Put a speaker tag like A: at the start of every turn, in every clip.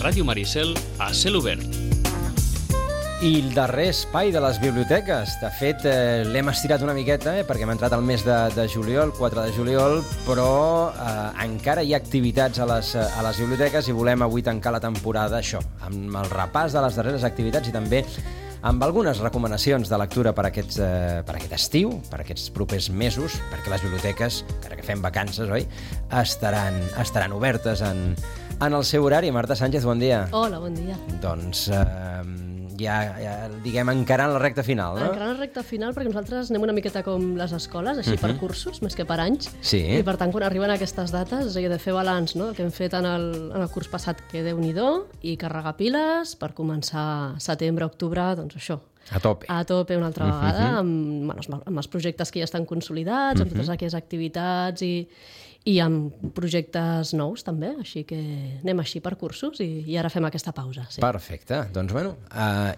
A: Ràdio Maricel a cel obert.
B: I el darrer espai de les biblioteques. De fet, l'hem estirat una miqueta, perquè hem entrat al mes de juliol, 4 de juliol, però encara hi ha activitats a les biblioteques i volem avui tancar la temporada, això, amb el repàs de les darreres activitats i també amb algunes recomanacions de lectura per aquest estiu, per aquests propers mesos, perquè les biblioteques, encara que fem vacances, oi, estaran obertes en el seu horari. Marta Sánchez, bon dia.
C: Hola, bon dia.
B: Doncs ja diguem, encarant la recta final, no?
C: Encarant la recta final, perquè nosaltres anem una miqueta com les escoles, així per cursos, més que per anys.
B: Sí.
C: I per tant, quan arriben aquestes dates, he de fer balanç, no?, el que hem fet en el curs passat, que Déu-n'hi-do, i carregar piles per començar setembre, octubre, doncs això.
B: A tope.
C: A tope una altra vegada, amb els projectes que ja estan consolidats, amb totes aquelles activitats i amb projectes nous també, així que anem així per cursos i ara fem aquesta pausa. Sí.
B: Perfecte. Doncs bueno,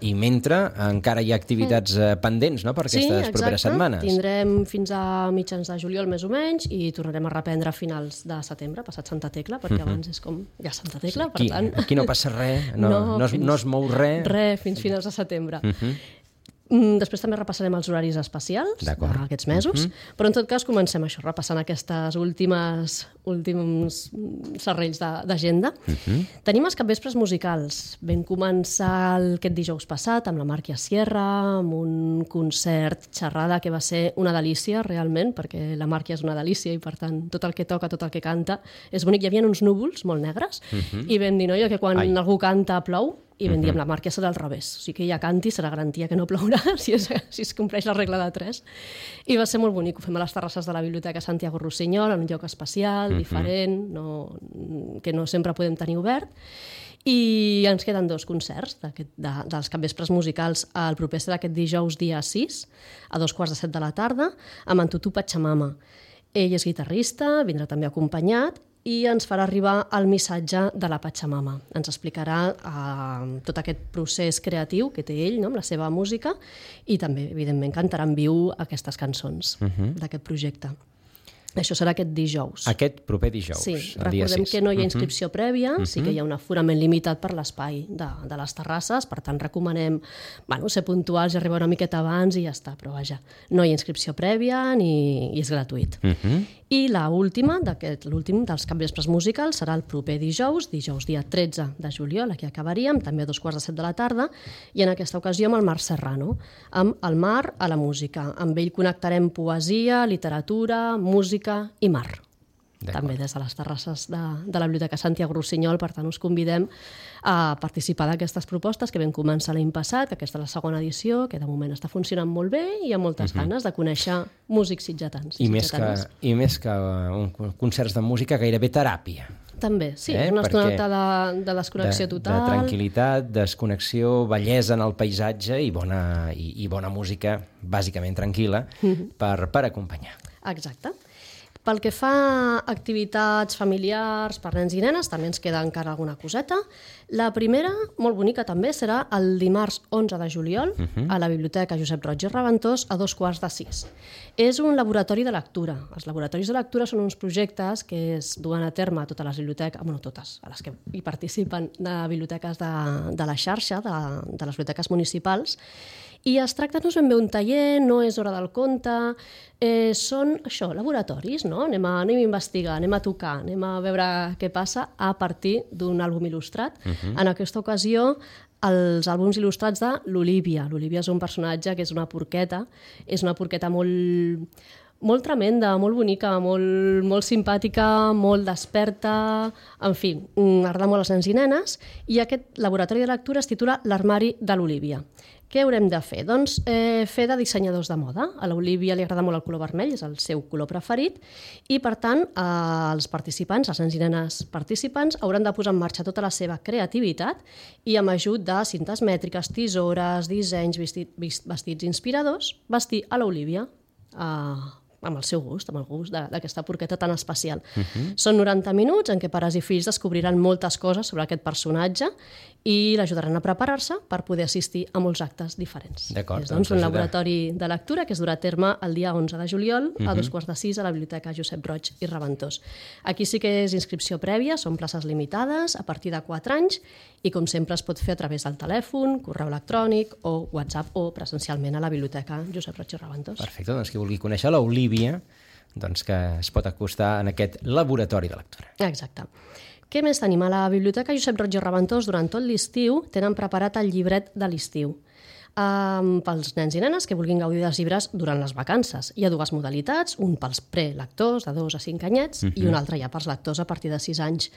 B: i mentre encara hi ha activitats pendents, no?, per aquestes properes setmanes.
C: Sí, tindrem fins a mitjans de juliol més o menys i tornarem a reprendre a finals de setembre, passat Santa Tecla, perquè abans és com ja Santa Tecla, per tant...
B: Aquí no passa res, no es mou res.
C: Res, fins finals de setembre. Després també repassarem els horaris especials d'aquests mesos, però en tot cas comencem això, repassant aquestes últims serrells d'agenda. Tenim els capvespres musicals. Vam començar aquest dijous passat amb la Màrquia Sierra, amb un concert xerrada que va ser una delícia, realment, perquè la Màrquia és una delícia i, per tant, tot el que toca, tot el que canta és bonic. Hi havia uns núvols molt negres i vam dir, que quan algú canta plou, i vam dir, amb la Màrquia serà al revés. O sigui que ella canti, serà garantia que no plourà si es compleix la regla de 3. I va ser molt bonic. Ho fem a les terrasses de la Biblioteca Santiago Rossinyol, en un lloc especial, diferent, que no sempre podem tenir obert. I ens queden 2 concerts dels capvespres musicals. El proper serà aquest dijous, dia 6, a 2:15 de la tarda, amb en Tutu Pachamama. Ell és guitarrista, vindrà també acompanyat, i ens farà arribar el missatge de la Pachamama. Ens explicarà tot aquest procés creatiu que té ell, no?, amb la seva música, i també, evidentment, cantarà en viu aquestes cançons d'aquest projecte. Això serà aquest dijous.
B: Aquest proper dijous,
C: sí,
B: el dia 6.
C: Recordem que no hi ha inscripció prèvia, sí que hi ha un aforament limitat per l'espai de les terrasses, per tant recomanem ser puntuals i arribar una miqueta abans i ja està, però vaja, no hi ha inscripció prèvia i és gratuït. I l'últim dels capvespres musicals serà el proper dijous dia 13 de juliol, aquí acabaríem, també a 2:15 de la tarda, i en aquesta ocasió amb el Marc Serrano, amb el mar a la música. Amb ell connectarem poesia, literatura, música i mar. També des de les terrasses de la Biblioteca Santiago Rossinyol, per tant us convidem a participar d'aquestes propostes que vam començar l'any passat, aquesta és la segona edició, que de moment està funcionant molt bé i hi ha moltes ganes de conèixer músics sitgetans.
B: I més que concerts de música, gairebé teràpia.
C: També, sí, una estoneta de desconnexió total.
B: De tranquil·litat, desconnexió, bellesa en el paisatge i bona música, bàsicament tranquil·la, per acompanyar.
C: Exacte. Pel que fa a activitats familiars per nens i nenes, també ens queda encara alguna coseta. La primera, molt bonica també, serà el dimarts 11 de juliol a la Biblioteca Josep Roig i Reventós a 5:15. És un laboratori de lectura. Els laboratoris de lectura són uns projectes que es duen a terme a totes les biblioteques, totes, a les que hi participen de biblioteques de la xarxa, de les biblioteques municipals, i es tracta, no és ben bé un taller, no és hora del conte, són això, laboratoris, no? Anem a investigar, anem a tocar, anem a veure què passa a partir d'un àlbum il·lustrat. En aquesta ocasió, els àlbums il·lustrats de l'Olívia. L'Olívia és un personatge que és una porqueta molt tremenda, molt bonica, molt simpàtica, molt desperta, en fi, agrada molt als nens i nenes, i aquest laboratori de lectura es titula L'armari de l'Olívia. Què haurem de fer? Doncs fer de dissenyadors de moda. A l'Olívia li agrada molt el color vermell, és el seu color preferit, i per tant els participants, els nens i nenes participants, hauran de posar en marxa tota la seva creativitat i amb ajut de cintes mètriques, tisores, dissenys, vestits inspiradors, vestir a l'Olívia amb el seu gust, amb el gust d'aquesta porqueta tan especial. Són 90 minuts en què pares i fills descobriran moltes coses sobre aquest personatge i l'ajudaran a preparar-se per poder assistir a molts actes diferents.
B: D'acord.
C: És doncs un laboratori de lectura que es durà a terme el dia 11 de juliol a 5:15 a la Biblioteca Josep Roig i Reventós. Aquí sí que és inscripció prèvia, són places limitades a partir de 4 anys i com sempre es pot fer a través del telèfon, correu electrònic o WhatsApp o presencialment a la Biblioteca Josep Roig i Reventós.
B: Perfecte, doncs qui vulgui conèixer l'Olívia, doncs que es pot acostar en aquest laboratori de lectura.
C: Exacte. Què més tenim? A la Biblioteca Josep Roig i Reventós durant tot l'estiu tenen preparat el llibret de l'estiu. Pels nens i nenes que vulguin gaudir dels llibres durant les vacances. Hi ha 2 modalitats, un pels prelectors de 2 a 5 anyets i un altre ja pels lectors a partir de 6 anys.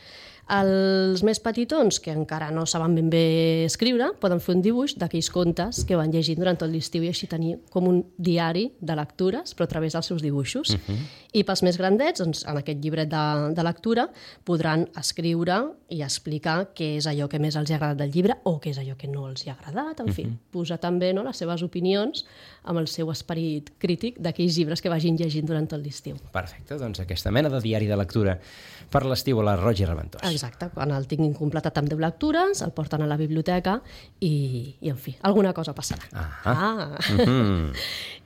C: Els més petitons, que encara no saben ben bé escriure, poden fer un dibuix d'aquells contes que van llegint durant tot l'estiu i així tenir com un diari de lectures, però a través dels seus dibuixos. I pels més grandets, doncs, en aquest llibret de lectura, podran escriure i explicar què és allò que més els ha agradat del llibre o què és allò que no els ha agradat, en fi, posar també les seves opinions amb el seu esperit crític d'aquells llibres que vagin llegint durant tot l'estiu.
B: Perfecte, doncs aquesta mena de diari de lectura per l'estiu a la Roig i Reventós.
C: Exacte, quan el tinguin completat amb 10 lectures, el porten a la biblioteca i en fi, alguna cosa passarà.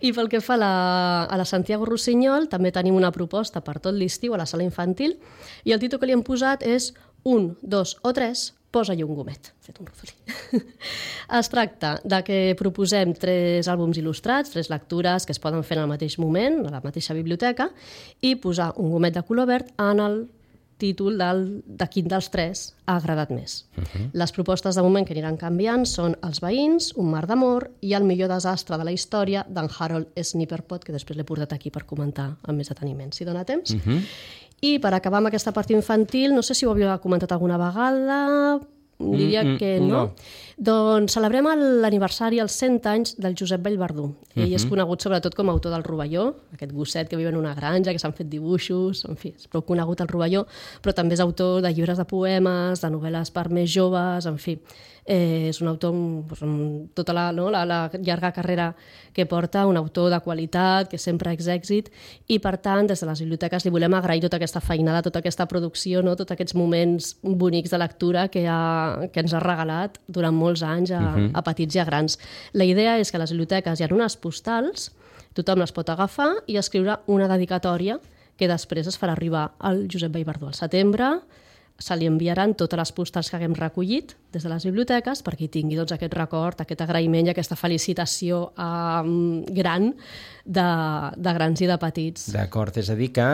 C: I pel que fa a la Santiago Rossinyol, també tenim una proposta per tot l'estiu a la sala infantil i el títol que li hem posat és 1, 2 o 3, posa-hi un gomet. Fet un rodolí. Es tracta de que proposem 3 àlbums il·lustrats, 3 lectures que es poden fer en el mateix moment, a la mateixa biblioteca, i posar un gomet de color verd en el títol de quin dels 3 ha agradat més. Les propostes de moment que aniran canviant són Els veïns, Un mar d'amor i El millor desastre de la història d'en Harold Snipperpot, que després l'he portat aquí per comentar amb més deteniment, si dona temps. I per acabar amb aquesta part infantil, no sé si ho havia comentat alguna vegada, diria que no. Doncs celebrem l'aniversari, els 100 anys del Josep Vallverdú. Ell és conegut sobretot com a autor del Rovelló, aquest gosset que viu en una granja, que s'han fet dibuixos, en fi, és prou conegut el Rovelló, però també és autor de llibres de poemes, de novel·les per més joves, en fi. És un autor amb tota la llarga carrera que porta, un autor de qualitat, que sempre és èxit, i per tant, des de les biblioteques li volem agrair tota aquesta feinada, tota aquesta producció, tots aquests moments bonics de lectura que ens ha regalat durant molts anys a petits i a grans. La idea és que a les biblioteques hi ha unes postals, tothom les pot agafar i escriure una dedicatòria que després es farà arribar al Josep Vallverdú al setembre. Se li enviaran totes les postals que haguem recollit des de les biblioteques perquè hi tingui aquest record, aquest agraïment i aquesta felicitació gran de grans i de petits.
B: D'acord, és a dir que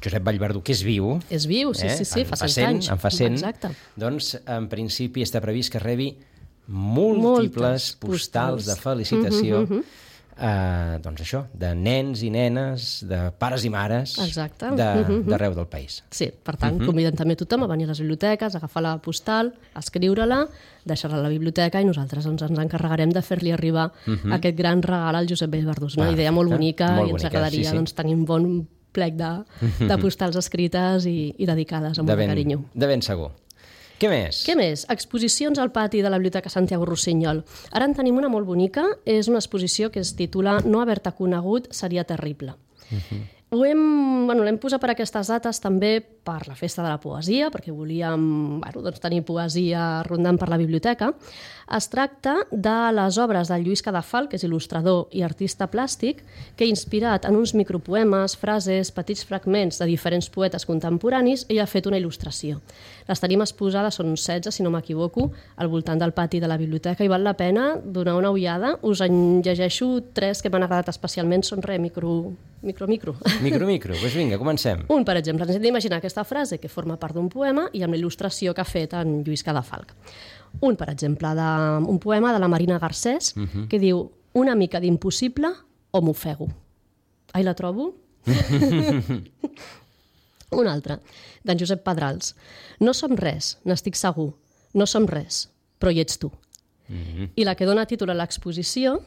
B: Josep Vallverdú, que és viu...
C: És viu, sí, fa 100 anys.
B: En fa 100,
C: exacte.
B: Doncs en principi està previst que rebi múltiples postals de felicitació doncs això, de nens i nenes, de pares i mares d'arreu del país.
C: Sí, per tant, convidem també tothom a venir a les biblioteques, a agafar la postal, a escriure-la, deixar-la a la biblioteca i nosaltres ens encarregarem de fer-li arribar aquest gran regal al Josep Vallverdú. És una idea molt bonica i ens agradaria tenir un bon plec de postals escrites i dedicades amb molt carinyo.
B: De ben segur. Què més?
C: Què més? Exposicions al pati de la Biblioteca Santiago Rossinyol. Ara en tenim una molt bonica, és una exposició que es titula No haver-te conegut seria terrible. L'hem posat per aquestes dates també per la Festa de la Poesia, perquè volíem tenir poesia rondant per la biblioteca. Es tracta de les obres de Lluís Cadafal, que és il·lustrador i artista plàstic, que inspirat en uns micropoemes, frases, petits fragments de diferents poetes contemporanis, ell ha fet una il·lustració. Les tenim exposades, són 16, si no m'equivoco, al voltant del pati de la biblioteca i val la pena donar una ullada. Us en llegeixo 3 que m'han agradat especialment, són micro.
B: Doncs vinga, comencem.
C: Un, per exemple, ens hem d'imaginar aquesta frase que forma part d'un poema i amb la il·lustració que ha fet en Lluís Cadafalch. Un, per exemple, un poema de la Marina Garcés que diu una mica d'impossible o m'ofego. Ai, la trobo? Un altre, d'en Josep Pedrals. No som res, n'estic segur. No som res, però hi ets tu. I la que dona títol a l'exposició,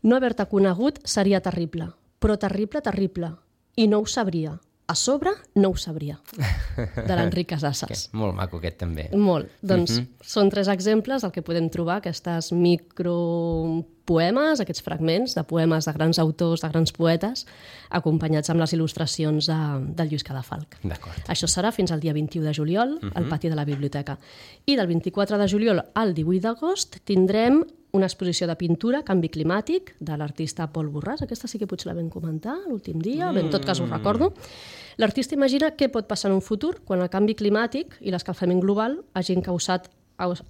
C: no haver-te conegut seria terrible, però terrible, terrible. I no ho sabria. a sobre no ho sabria, de l'Enric Casasses.
B: Molt maco aquest també.
C: Molt. Doncs són 3 exemples del que podem trobar, aquestes micropoemes, aquests fragments de poemes de grans autors, de grans poetes, acompanyats amb les il·lustracions del Lluís Cadafalch.
B: D'acord.
C: Això serà fins al dia 21 de juliol al pati de la biblioteca. I del 24 de juliol al 18 d'agost tindrem una exposició de pintura, Canvi climàtic, de l'artista Pol Borràs. Aquesta sí que potser la vam comentar l'últim dia, bé, en tot cas ho recordo. L'artista imagina què pot passar en un futur quan el canvi climàtic i l'escalfament global hagin causat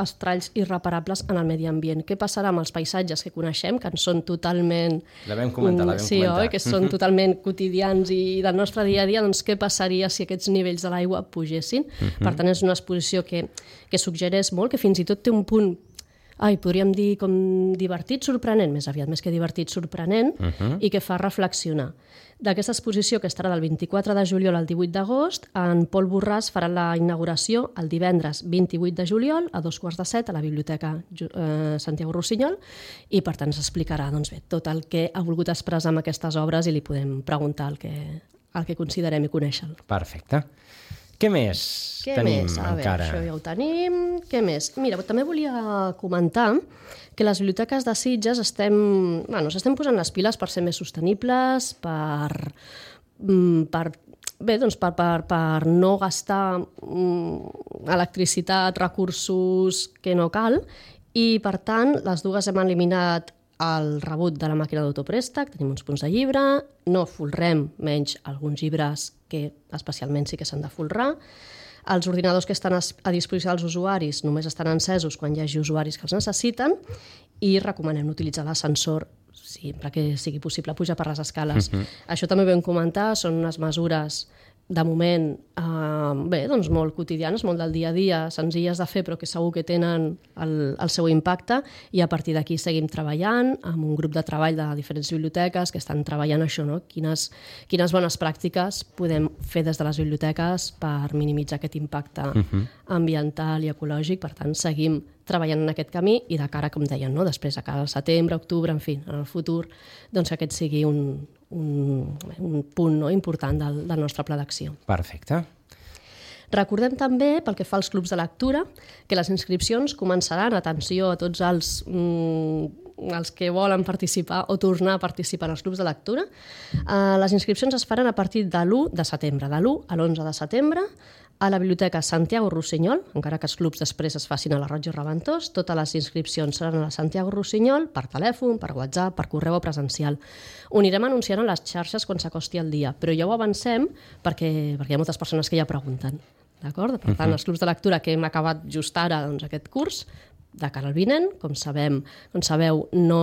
C: estralls irreparables en el medi ambient. Què passarà amb els paisatges que coneixem, que en són totalment...
B: La vam comentar.
C: Sí, oi? Que són totalment quotidians i del nostre dia a dia, doncs què passaria si aquests nivells de l'aigua pugessin? Per tant, és una exposició que suggereix molt, que fins i tot té un punt, podríem dir com divertit, sorprenent, més aviat, més que divertit, sorprenent, i que fa reflexionar. D'aquesta exposició, que estarà del 24 de juliol al 18 d'agost, en Pol Borràs farà la inauguració el divendres 28 de juliol a 6:45 a la Biblioteca Santiago Rossinyol, i per tant s'explicarà tot el que ha volgut expressar amb aquestes obres i li podem preguntar el que considerem i conèixer.
B: Perfecte. Què més tenim encara?
C: Això ja ho tenim. Què més? Mira, també volia comentar que les biblioteques de Sitges estem posant les piles per ser més sostenibles, per no gastar electricitat, recursos que no cal, i per tant les dues hem eliminat el rebut de la màquina d'autoprèstec, tenim uns punts de llibre, no folrem, menys alguns llibres que especialment sí que s'han de folrar. Els ordinadors que estan a disposició dels usuaris només estan encesos quan hi hagi usuaris que els necessiten, i recomanem utilitzar l'ascensor sempre que sigui possible pujar per les escales. Això també ho vam comentar, són unes mesures de moment molt quotidianes, molt del dia a dia, senzilles de fer però que segur que tenen el seu impacte, i a partir d'aquí seguim treballant amb un grup de treball de diferents biblioteques que estan treballant això, no? Quines bones pràctiques podem fer des de les biblioteques per minimitzar aquest impacte ambiental i ecològic. Per tant, seguim treballant en aquest camí, i de cara, com deien, no? Després a cada setembre, octubre, en fi, en el futur, doncs aquest sigui un punt important del nostre pla d'acció.
B: Perfecte.
C: Recordem també, pel que fa als clubs de lectura, que les inscripcions començaran, atenció a tots els que volen participar o tornar a participar en els clubs de lectura. Les inscripcions es faran a partir de l'1 de setembre, de l'1 a l'11 de setembre, a la Biblioteca Santiago Rossinyol, encara que els clubs després es facin a la Roig i Reventós. Totes les inscripcions seran a la Santiago Rossinyol, per telèfon, per WhatsApp, per correu o presencial. Ho anirem anunciant a les xarxes quan s'acosti el dia, però ja ho avancem perquè hi ha moltes persones que ja pregunten. D'acord? Per tant, els clubs de lectura que hem acabat just ara aquest curs, de cara al vinent, com sabeu, no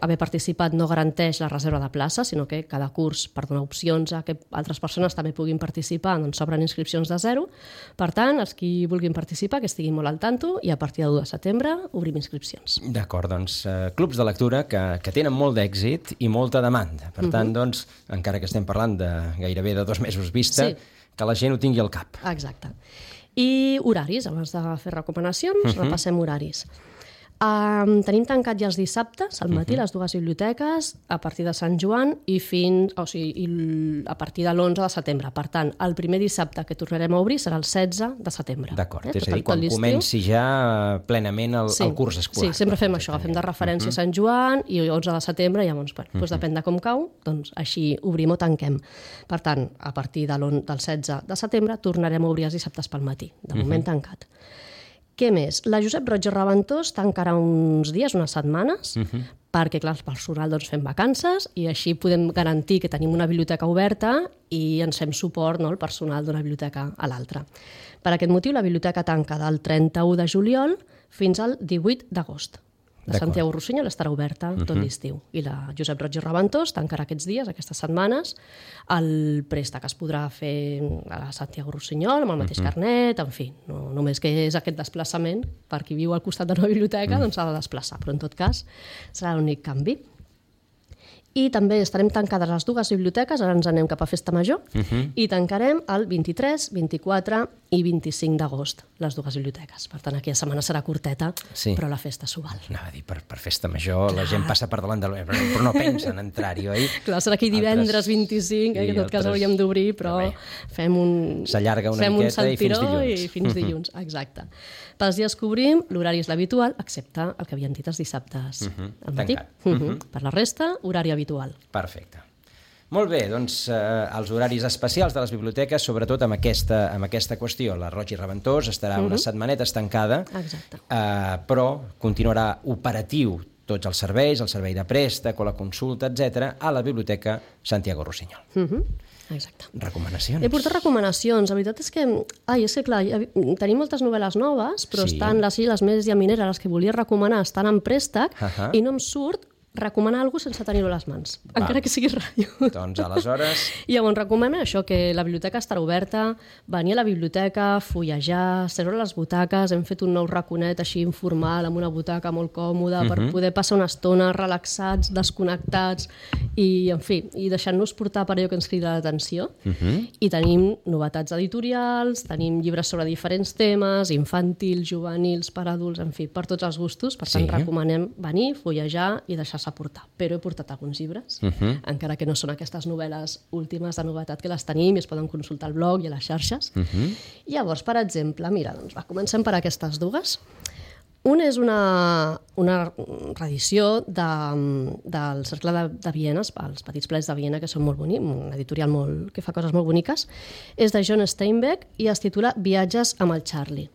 C: haver participat no garanteix la reserva de plaça, sinó que cada curs, per donar opcions a que altres persones també puguin participar, doncs s'obren inscripcions de 0. Per tant, els qui vulguin participar, que estiguin molt al tanto, i a partir del 1 de setembre obrim inscripcions.
B: D'acord, doncs clubs de lectura que tenen molt d'èxit i molta demanda. Per tant, doncs, encara que estem parlant de gairebé de 2 mesos vista, que la gent ho tingui al cap.
C: Exacte. I horaris, abans de fer recomanacions, repassem horaris. Tenim tancat ja els dissabtes, al matí, les dues biblioteques, a partir de Sant Joan i a partir de l'11 de setembre. Per tant, el primer dissabte que tornarem a obrir serà el 16 de setembre.
B: D'acord, és a dir, quan comenci ja plenament el curs escolar.
C: Sí, sempre fem això, agafem de referència Sant Joan i el 11 de setembre, llavors, depèn de com cau, doncs així obrim o tanquem. Per tant, a partir del 16 de setembre tornarem a obrir els dissabtes pel matí, de moment tancat. Què més? La Josep Roig i Reventós tancarà uns dies, unes setmanes, perquè, clar, els personal fem vacances i així podem garantir que tenim una biblioteca oberta i ens fem suport, no, el personal d'una biblioteca a l'altra. Per aquest motiu, la biblioteca tanca del 31 de juliol fins al 18 d'agost. La Santiago Rossinyol estarà oberta tot l'estiu. I la Josep Roig i Reventós tancarà aquests dies, aquestes setmanes. El préstec es podrà fer a la Santiago Rossinyol, amb el mateix carnet, en fi, no només que és aquest desplaçament, per qui viu al costat de la biblioteca, doncs s'ha de desplaçar, però en tot cas serà l'únic canvi. I també estarem tancades les dues biblioteques, ara ens anem cap a Festa Major, i tancarem el 23, 24 i 25 d'agost, les dues biblioteques. Per tant, aquella setmana serà curteta, però la festa s'ho val.
B: Anava a dir, per festa major, la gent passa per davant però no pensa en entrar-hi, oi?
C: Clar, serà aquí divendres 25, que en tot cas hauríem d'obrir, però fem un...
B: S'allarga una miqueta i fins dilluns.
C: I fins dilluns, exacte. Pels dies que obrim, l'horari és l'habitual, excepte el que havíem dit els dissabtes al matí. Per la resta, horari habitual.
B: Perfecte. Molt bé, doncs els horaris especials de les biblioteques, sobretot amb aquesta qüestió. La Roig i Reventós estarà unes setmanetes tancada, però continuarà operatiu tots els serveis, el servei de préstec o la consulta, etc., a la Biblioteca Santiago Rossinyol.
C: Exacte.
B: Recomanacions.
C: He portat recomanacions. La veritat és que clar, tenim moltes novel·les noves, però estan les més llamineres, les que volia recomanar, estan en préstec i no em surt recomanar alguna cosa sense tenir-ho a les mans, encara que sigui ràdio.
B: Doncs aleshores...
C: I llavors recomanem això, que la biblioteca estarà oberta, venir a la biblioteca, fullejar, seure a les butaques, hem fet un nou raconet així informal, amb una butaca molt còmoda, per poder passar una estona relaxats, desconnectats, i, en fi, i deixant-nos portar per allò que ens crida l'atenció. I tenim novetats editorials, tenim llibres sobre diferents temes, infantils, juvenils, per adults, en fi, per tots els gustos. Per tant, recomanem venir, fullejar i deixar-se portar. Però he portat alguns llibres, encara que no són aquestes novel·les últimes de novetat que les tenim i es poden consultar al blog i a les xarxes. Llavors, per exemple, mira, doncs comencem per aquestes dues. Una és una reedició del Cercle de Viena, els Petits Plets de Viena, que són molt bonics, una editorial que fa coses molt boniques. És de John Steinbeck i es titula Viatges amb el Charlie.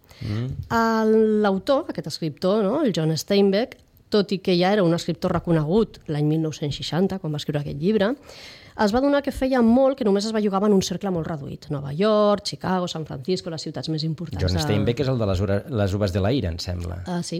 C: L'autor, aquest escriptor, el John Steinbeck, tot i que ja era un escriptor reconegut l'any 1960, quan va escriure aquest llibre, es va adonar que feia molt que només es bellugava en un cercle molt reduït. Nova York, Chicago, San Francisco, les ciutats més importants.
B: John Steinbeck és el de les Uves de la Ira, em sembla.
C: Sí.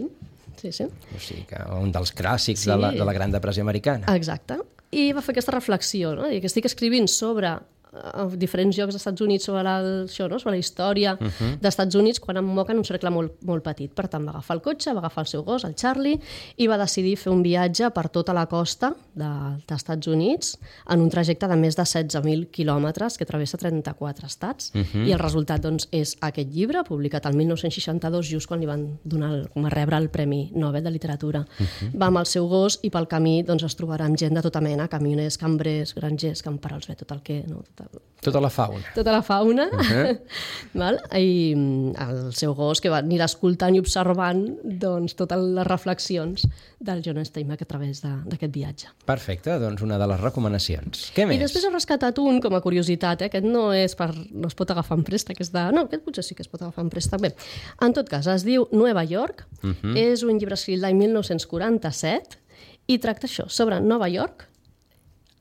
C: O
B: sigui que un dels clàssics de la Gran Depressió americana.
C: Exacte. I va fer aquesta reflexió, no? I que estic escrivint sobre a diferents llocs dels Estats Units sobre la història dels Estats Units quan em moquen un cercle molt petit. Per tant, va agafar el cotxe, va agafar el seu gos, el Charlie, i va decidir fer un viatge per tota la costa dels Estats Units en un trajecte de més de 16.000 quilòmetres que travessa 34 estats. I el resultat doncs, és aquest llibre, publicat el 1962, just quan li van rebre el Premi Nobel de Literatura. Va amb el seu gos i pel camí doncs, es trobarà amb gent de tota mena, camioners, cambrers, grangers, camperols, tot el que...
B: Tota la fauna.
C: Tota la fauna. I el seu gos que anirà escoltant i observant doncs, totes les reflexions del John Steinbeck a través d'aquest viatge.
B: Perfecte, doncs una de les recomanacions. Què més?
C: I després he rescatat un com a curiositat, aquest no es pot agafar en préstec, aquest potser sí que es pot agafar en préstec. Bé, en tot cas, es diu Nueva York, és un llibre escrit l'any 1947 i tracta això, sobre Nova York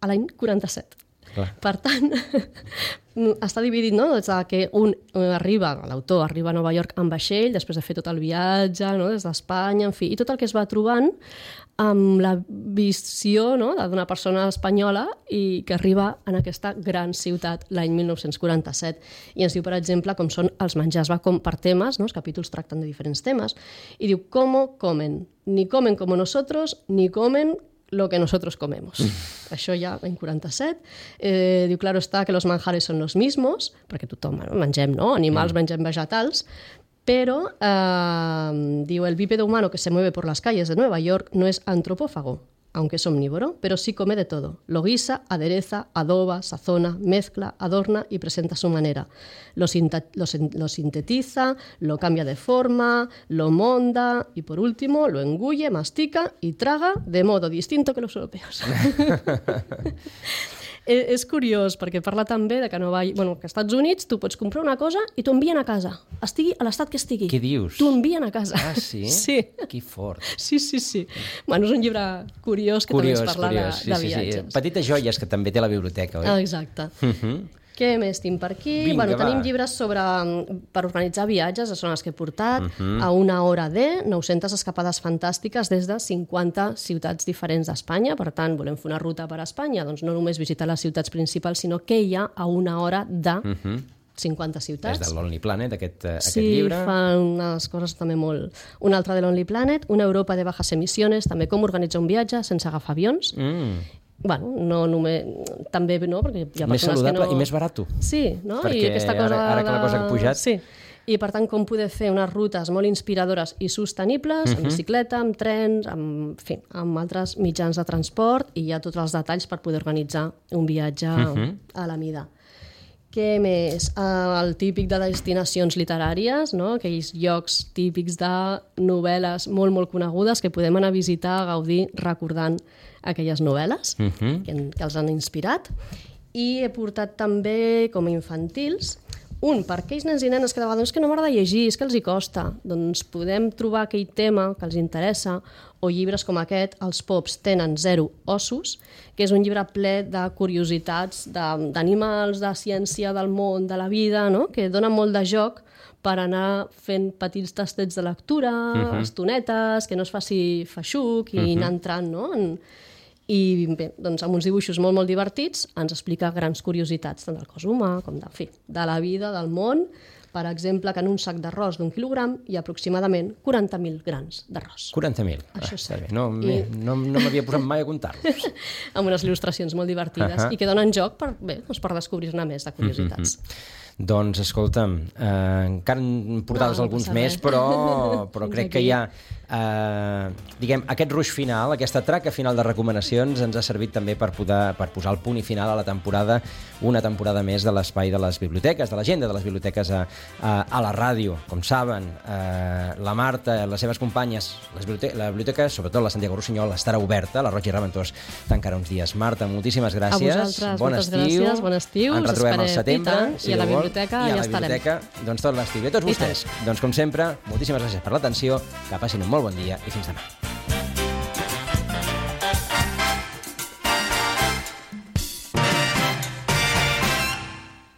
C: a l'any 47.
B: Clar.
C: Per tant, està dividit, no?, des que l'autor arriba a Nova York amb vaixell, després de fer tot el viatge, des d'Espanya, en fi, i tot el que es va trobant amb la visió d'una persona espanyola i que arriba en aquesta gran ciutat l'any 1947. I ens diu, per exemple, com són els menjars, va com per temes, els capítols tracten de diferents temes, i diu, ¿cómo comen? Ni comen como nosotros, ni comen lo que nosotros comemos. Això ja en 47. Diu, claro está que los manjares son los mismos, perquè tothom mengem animals, mengem vegetals, pero diu, el bípedo humano que se mueve por las calles de Nueva York no es antropófago, aunque es omnívoro, pero sí come de todo. Lo guisa, adereza, adoba, sazona, mezcla, adorna y presenta a su manera. Lo sintetiza, lo cambia de forma, lo monda y, por último, lo engulle, mastica y traga de modo distinto que los europeos. És curiós, perquè parla també de que que als Estats Units tu pots comprar una cosa i t'ho envien a casa, estigui a l'estat que estigui.
B: Què dius?
C: T'ho envien a casa.
B: Ah, sí?
C: Sí.
B: Que fort.
C: Sí. Bueno, és un llibre curiós que també es parla de viatges.
B: Petites joies que també té la biblioteca, oi?
C: Exacte. Què més tinc per aquí? Tenim llibres per organitzar viatges, són els que he portat, a una hora de 900 escapades fantàstiques des de 50 ciutats diferents d'Espanya. Per tant, volem fer una ruta per Espanya, doncs no només visitar les ciutats principals, sinó què hi ha a una hora de 50 ciutats.
B: És de Lonely Planet, aquest llibre.
C: Sí, fa unes coses també molt... Un altre de Lonely Planet, una Europa de bajas emisiones, també com organitzar un viatge sense agafar avions. bueno, no només... També, no? Perquè hi ha
B: més saludable i més barat.
C: Sí, no?
B: Perquè
C: I aquesta cosa
B: ara que la cosa ha pujat...
C: Sí. I, per tant, com poder fer unes rutes molt inspiradores i sostenibles, amb bicicleta, amb trens, amb altres mitjans de transport, i hi ha tots els detalls per poder organitzar un viatge a la mida. Què més? El típic de destinacions literàries, no? Aquells llocs típics de novel·les molt, molt conegudes que podem anar a visitar, a gaudir, recordant aquelles novel·les que els han inspirat. I he portat també, com a infantils, per aquells nens i nenes que de vegades que no m'agrada llegir, és que els hi costa, doncs podem trobar aquell tema que els interessa, o llibres com aquest, Els pops tenen 0 ossos, que és un llibre ple de curiositats d'animals, de ciència, del món, de la vida, no? Que dona molt de joc per anar fent petits tastets de lectura, estonetes, que no es faci feixuc i anar entrant, no? I bé, doncs amb uns dibuixos molt, molt divertits ens explica grans curiositats tant del cos humà com de la vida, del món. Per exemple, que en un sac d'arròs d'1 quilogram hi ha aproximadament 40.000 grans d'arròs.
B: 40.000?
C: Això sí.
B: No m'havia posat mai a comptar-los.
C: Amb unes il·lustracions molt divertides i que donen joc per descobrir-ne més de curiositats.
B: Doncs, escolta'm, encara en portaves alguns més, però crec que ja, diguem, aquest ruix final, aquesta traca final de recomanacions ens ha servit també per posar el punt i final a la temporada, una temporada més de l'espai de les biblioteques, de l'agenda de les biblioteques a la ràdio. Com saben, la Marta, les seves companyes, la biblioteca, sobretot la Santiago Rossinyol, estarà oberta, la Roig i Reventós tancarà uns dies. Marta, moltíssimes gràcies.
C: A vosaltres, moltes gràcies, bon estiu.
B: Ens retrobem al setembre.
C: I a la biblioteca ja estarem.
B: Doncs tot l'estiu. I a tots vostès, doncs com sempre, moltíssimes gràcies per l'atenció, que passin un molt bon dia i fins demà.